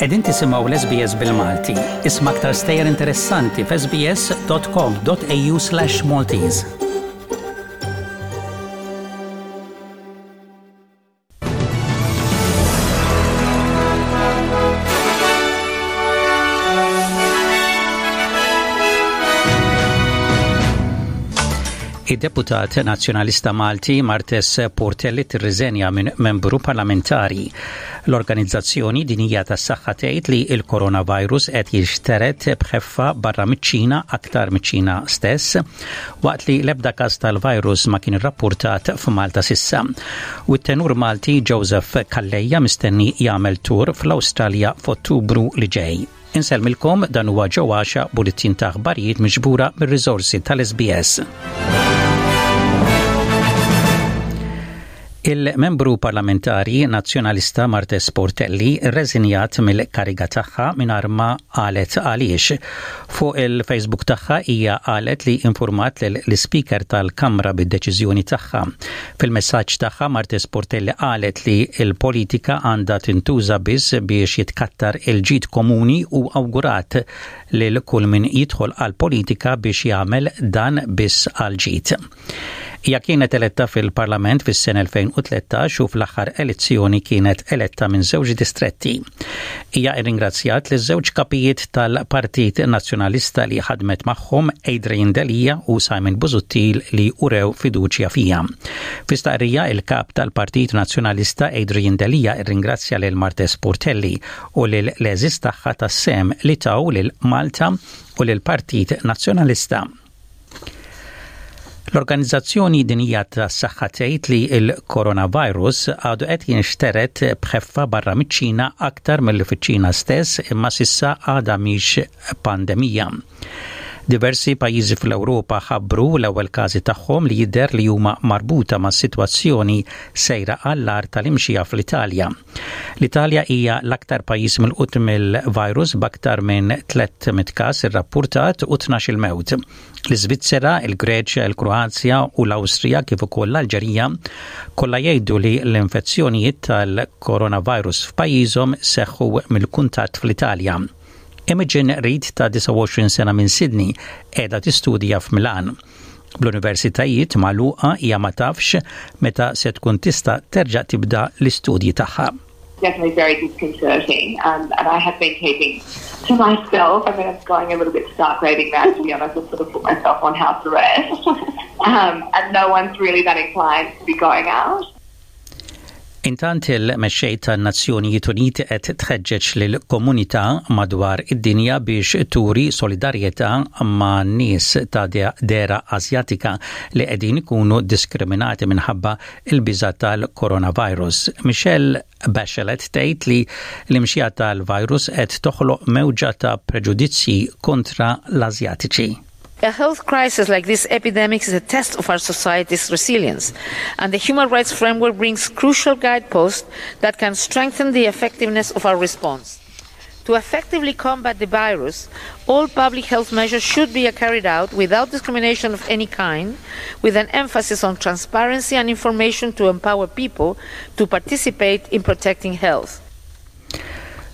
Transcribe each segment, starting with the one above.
Qegħdin tisimgħu l-SBS bil-Malti. Isma' aktar stejjer interessanti f'sbs.com.au/Maltese. Id-deputat Nazzjonalista Malti Martes Portelli tirriżenja minn membru parlamentari. L-Organizzazzjoni Dinjija tas-Saħħa tgħid li l-coronavirus qed jinxtered b'ħeffa barra miċ-Ċina aktar miċ-Ċina stess, waqt li l-ebda każ tal-virus ma kien irrappurtat f'Malta s'issa. U t-tenur Malti Joseph Calleja mistenni jagħmel tour fl-Awstralja f'Ottubru li ġej. Insellmilkom dan huwa Joe Għaxa bulletin ta' aħbarijiet miġbura mir-riżorsi tal-SBS. Il-membru parlamentari Nazzjonalista Martes Portelli rreżinjat mill-kariga tagħha mingħajr ma qalet għaliex. Fuq il-Facebook tagħha hija qalet li infurmat lill-Ispeaker tal-Kamra bid-deċiżjoni tagħha. Fil-messaġġ tagħha Martes Portelli qalet li l-politika għandha tintuża biss biex jitkattar il-ġid komuni u awgurat lil kull min jidħol għall-politika biex jagħmel dan biss għall-ġid. Hija kienet eletta fil-Parlament fis-sena 2013 u fl-aħħar elezzjoni kienet eletta minn żewġ distretti. Hija rringrazzjat liż-żewġ kapijiet tal-Partit Nazzjonalista li ħadmet magħhom Adrian Delia u Simon Busuttil li urew fiduċja fija. Fi stqarrija il-kap tal-Partit Nazzjonalista Adrian Delia rringrazzja lil Martes Portelli u lil l-għeżież tagħha tas-sehem li taw lil Malta u lill-Partit Nazzjonalista. L-Organizzazzjoni Dinjija tas-Saħħa tgħid li l-coronavirus għadu qed jinxtered b'ħeffa barra miċ-Ċina aktar milli fiċ-Ċina stess imma s'issa għadha mhix pandemija. Diversi pajjiżi fl-Ewropa ħabbru l-ewwel każi tagħhom li jidher li huma marbuta mas-sitwazzjoni sejra għall-agħar tal-imxija fl-Italja. L-Italja hija l-aktar pajjiż milqut mill-virus b'aktar minn 300 każ irrappurtat u 12-il mewt. L-Iżvizzera, il-Greċja, il-Kroazja u l-Awstrija kif ukoll l-Alġerija kollha jgħidu li l-infezzjonijiet tal-coronavirus f'pajjiżhom seħħu mill-kuntatt fl-Italja. Imogen Reid ta' 29 sena minn Sydney qiegħda tistudja f'Milan. Bl-universitajiet magħluqa hija ma tafx meta se tkun tista' terġa' tibda l-istudji tagħha. Definitely very disconcerting um, and I have been keeping to myself. I mean, I'm going a little bit stark raving mad, to be honest. I've sort of put myself on house arrest. Um, and no one's really that inclined to be going out. Intant il-mexxej tan-Nazzjonijiet Uniti qed tħeġġeġ lill-komunità madwar id-dinja biex turi solidarjetà ma' nies ta' dehra Asjatika li qegħdin ikunu diskriminati minħabba l-biża' tal-coronavirus. Michelle Bachelet tgħid li l-imxija tal-virus qed toħloq mewġa ta' preġudizzji kontra l-Asjatiċi. A health crisis like this epidemic is a test of our society's resilience, and the human rights framework brings crucial guideposts that can strengthen the effectiveness of our response. To effectively combat the virus, all public health measures should be carried out without discrimination of any kind, with an emphasis on transparency and information to empower people to participate in protecting health.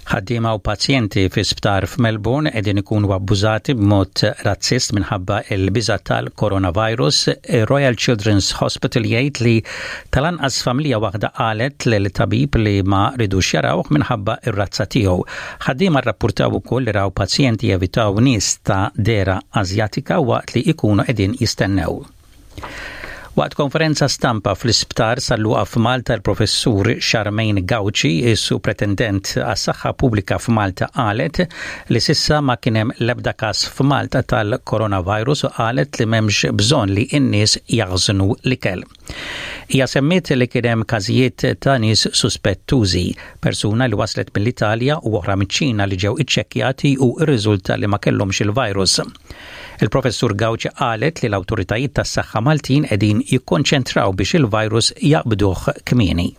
Ħaddiema u pazjenti fi sptar f'Melbourne qegħdin ikunu abbużati b'mod razzist minħabba l-biża' tal-coronavirus. Royal Children's Hospital jgħid li tal-anqas familja waħda qalet lil tabib li ma ridux jarawh minħabba r-razza tiegħu. Ħaddiema rrappurtaw ukoll li raw pazjenti jevitaw nies ta' dehra Asjatika waqt li jkunu qegħdin jistennew. Waqt konferenza stampa fl-Isptar San Luqa f'Malta l-Professur Charmaine Gauci, is-Supretendent għas-Saħħa Pubblika f'Malta qalet li s'issa ma kien hemm l-ebda każ f'Malta tal-coronavirus u qalet li m'hemmx bżonn li n-nies jaħżnu l-ikel. Hija semmiet li kien hemm każijiet ta' nies suspettużi, persuna li waslet mill-Italja u oħra miċ-Ċina li ġew iċċekkjati u rriżulta li ma kellhomx il-virus. Il-Professur Gauci qalet li l-awtoritajiet tas-saħħa Maltin qegħdin jikkonċentraw biex il-virus jaqbduh kmieni.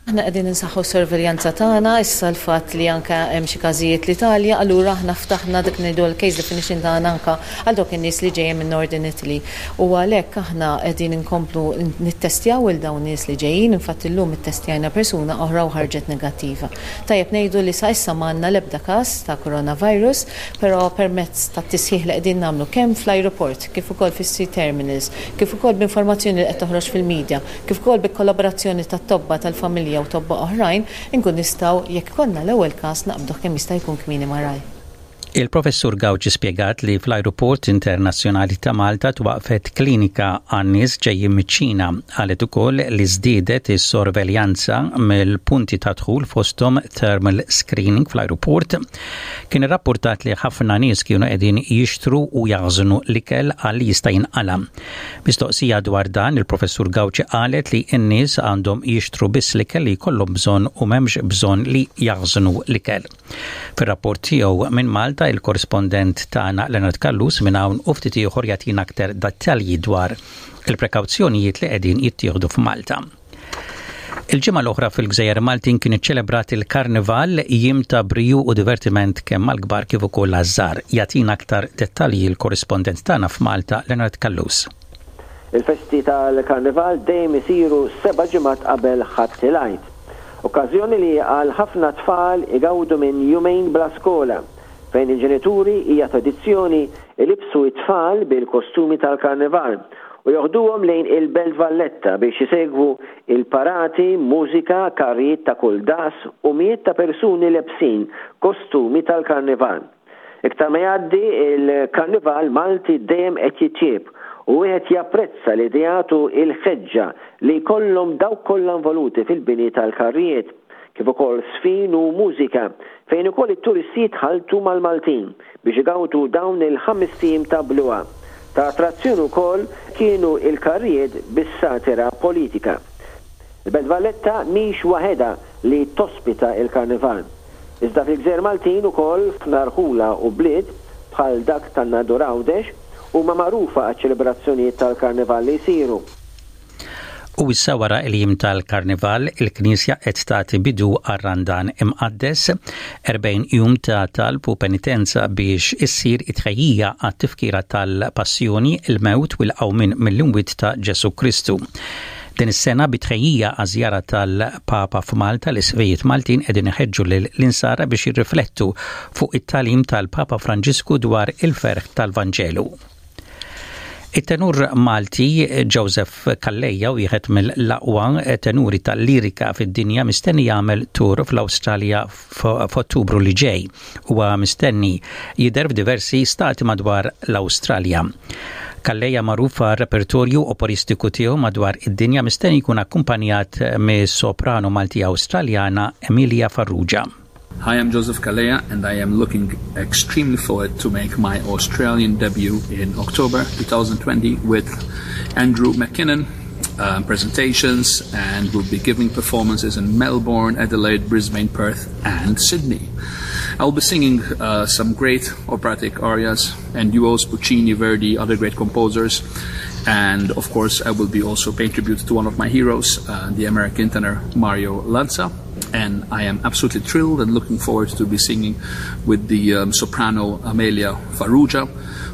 Aħna qegħdin insaħħu s-sorveljanza tagħna, issa l-fatt li anke hemm xi każijiet l-Italja, allura aħna ftaħna dak ngħidu l-case definition tagħna anke għal dawk in-nies li ġejjin minn Northern Italy. U għalhekk aħna qegħdin inkomplu nittestjaw il dawn nies li ġejjin, infatti llum ittestjajna persuna oħra u ħarġet negattiva. Tajjeb ngħidu li sa issa m'għandna l-ebda każ ta' coronavirus, però permezz tat-tisħiħ li qegħdin nagħmlu kemm fl-ajruport kif ukoll fis-sea terminals, kif ukoll b'informazzjoni li qed toħroġ fil-media, kif ukoll bil-kollaborazzjoni ta' tobba tal-familja u tobba oħrajn, inkun nistgħu, jekk ikollna l-ewwel każ, naqbduh kemm jista' jkun kmieni malajr. Il-Professur Gauci spjegat li fl-Ajruport Internazzjonali ta' Malta twaqfet klinika għan-nies ġejjin miċ-Ċina. Qalet ukoll li żdiedet is-sorveljanza mill-punti ta' dħul fosthom thermal screening fl-ajruport. Kien irrappurtat li ħafna nies kienu qegħdin jixtru u jaħżnu l-ikel għal li jista' jinqala. Mistoqsija dwar dan, il-Professur Gauci qalet li n-nies għandhom jixtru biss l-ikel li jkollhom bżonn u m'hemmx bżonn li jaħżnu l-ikel. Fir-rapport tiegħu minn Malta, il-korrispondent tagħna Leonard Callus minn hawn u ftit ieħor jagħtina aktar dettalji dwar il-prekawzjonijiet li qegħdin jittieħdu f'Malta. Il-ġimgħa l-oħra fil-Gżejjer Maltin kien iċċelebrat il-Karnival, jiem ta' briju u divertiment kemm għall-kbar kif ukoll għaż-żgħar. Jagħtina aktar dettalji l-korrispondent tagħna f'Malta, Leonard Callus. Il-festi tal-Karnival dejjem isiru seba' ġimgħat qabel Ħadd il-Għid. Okkażjoni li għal ħafna tfal igawdu minn jumejn bla skola, fejn il-ġenituri hija tradizzjoni ilibbsu t-tfal bil-kostumi tal-Karnival u joħduhom lejn il-Belt Valletta biex isegwu il-parati, mużika, karrijiet ta' kull daqs u mijiet ta' persuni lebsin kostumi tal-Karnival. Iktar ma jgħaddi, il-Karnival Malti dejjem qed jitjieb u wieħed japprezza l-ideat u l-ħeġġa li jkollhom dawk kollha involuti fil-bini tal-karrijiet, kif ukoll żfin u mużika fejn ukoll it-turisti jitħalltu mal-Maltin biex igawdu dawn il-ħamest ijiem ta' bluha. Ta' attrazzjoni wkoll kienu l-karrijiet bis-satira politika. Il-Belt Valletta mhix waħedha li tospita l-Karnival. Iżda fil-gżejjer Maltin ukoll f'ħafna rħula u bliet, bħal dak tan-Nadur Għawdex, huma magħrufa għaċ-ċelebrazzjonijiet tal-Karnival li jsiru. U issa wara il-jiem tal-Karnival, il-Knisja qed tagħti bidu għar-Randan Imqaddes, 40 jum ta' talb u penitenza biex issir it-tħejjija għat-tifkira tal-Passjoni, il-mewt u l-qawmien mill-imwiet ta' Ġesù Kristu. Din is-sena bi tħejjija għaż-żjara tal-Papa f'Malta, l-Isqfijiet Maltin qegħdin iħeġġu lill-Insara biex jirriflettu fuq it-tagħlim tal-Papa Franġisku dwar il-ferħ tal-Vanġelu. It-tenur Malti Joseph Calleja, wieħed mill-aqwa tenuri tal-lirika fid-dinja mistenni jagħmel tur fl-Awstralja f'Ottubru li ġej. Huwa mistenni jidher f'diversi stati madwar l-Awstralja. Calleja magħruf għar-repertorju operistiku tiegħu madwar id-dinja mistenni jkun akkumpanjat mis-soprano Malti Awstraljana Emilia Farrugia. Hi, I'm Joseph Calleja and I am looking extremely forward to make my Australian debut in October 2020 with Andrew McKinnon um, presentations and will be giving performances in Melbourne, Adelaide, Brisbane, Perth and Sydney. I'll be singing uh, some great operatic arias and duos, Puccini, Verdi, other great composers. And of course, I will be also paying tribute to one of my heroes, uh, the American tenor Mario Lanza and I am absolutely thrilled and looking forward to be singing with the um, soprano Amelia Farrugia,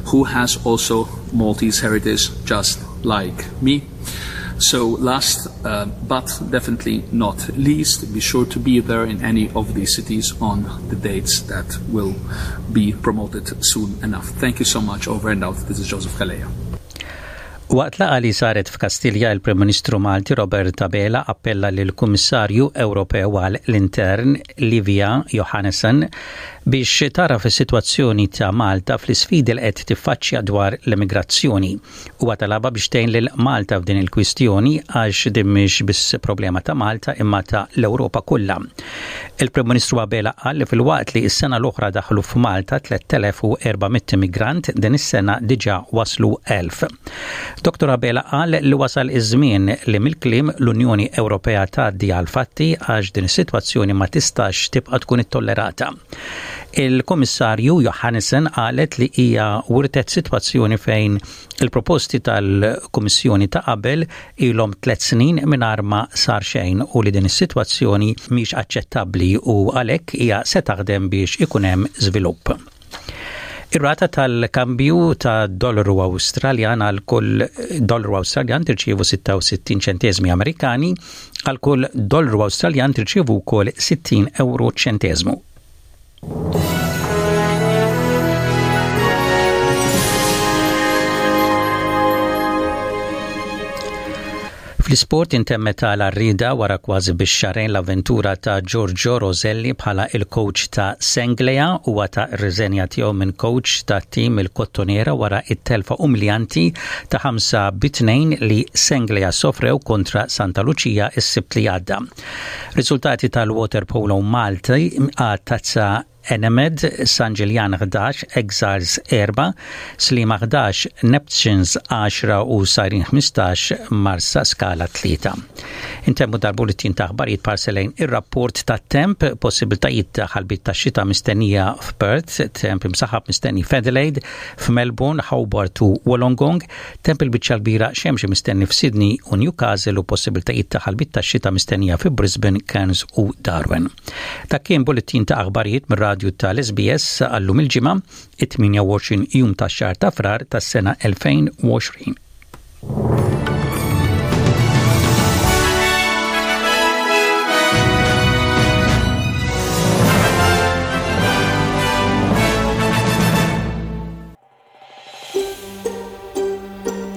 who has also Maltese heritage just like me. So last uh, but definitely not least, be sure to be there in any of these cities on the dates that will be promoted soon enough. Thank you so much. Over and out. This is Joseph Calleja. Waqt laqgħa li saret f'Kastilja, il-Prim Ministru Malti Robert Abela appella lill-Kummissarju Ewropew għal l-Intern Livia Johannesson biex tara fis-sitwazzjoni ta' Malta fl-isfidi li qed tiffaċċja dwar l-immigrazzjoni. Huwa talabha biex tgħin lil Malta f'din il-kwistjoni għax din mhix biss problema ta' Malta imma ta' l-Ewropa kollha. Il-Prim Ministru Abela qal li filwaqt li s-sena l-oħra daħlu f'Malta 3400 immigrant, din is-sena diġà waslu 1000. Dottor Abela qal li wasal iż-żmien li mill-kliem l-Unjoni Ewropea tgħaddi għall-fatti għax din is-sitwazzjoni ma tistax tibqa' tkun ittollerata. Il-Kummissarju Johannesson qalet li hija wirtet sitwazzjoni fejn il-proposti tal-Kummissjoni ta' qabel ilhom tlett snin mingħajr ma sar xejn u li din is-sitwazzjoni mhix aċċettabbli u għalhekk hija se taħdem biex ikun hemm żvilupp. Ir-rata tal-kambju ta' dollaru Awstraljan għal kull dollaru Awstraljan tirċievu 66 ċenteżmi Amerikani, għal kull dollaru Awstraljan tirċievu wkoll 60 euro ċenteżmu. Fl-isport intemmet għal għarrieda wara kważi biex xahrejn l-avventura ta' Giorgio Roselli bħala il-coach ta' Senglea. Huwa ta r-riżenja tiegħu minn coach ta' tim il-Kottonera wara it-telfa umiljanti ta' 5 bi 2 li Senglea sofrew kontra Santa Lucia is-Sibt li għadda. Riżultati tal-Waterpolo Malti għat-Tazza Enemed, San Ġiljan 11, Exiles 4, Sliema 11, Neptunes 10 u Sajrin 15, Marsa Skala 3. Intemmu dal-bulletin ta' aħbarijiet b'ħarsa lejn ir-rapport ta' temp, possibiltajiet ta' ħalbiet ta' xita mistennija f'Perth, temp imsaħab mistenni f'Adelaide, f'Melbourne, Hobart u Wollongong, temp il-biċċa kbira xemxi mistenni f'Sydney u Newcastle u possibiltajiet ta' ħalbiet ta' xita mistennija fi Brisbane, Cairns u Darwin. Dak kien bulletin ta' aħbarijiet mir-radju tal-SBS għallum il-ġimgħa, it-28 jum tax-xahar ta' Frar tas-sena 2020.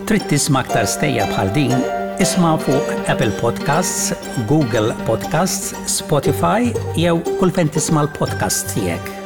Trid tisma' aktar stejjer bħal din? Isma' fuq Apple Podcasts, Google Podcasts, Spotify jew kull fejn tisma' l-podcasts tiegħek.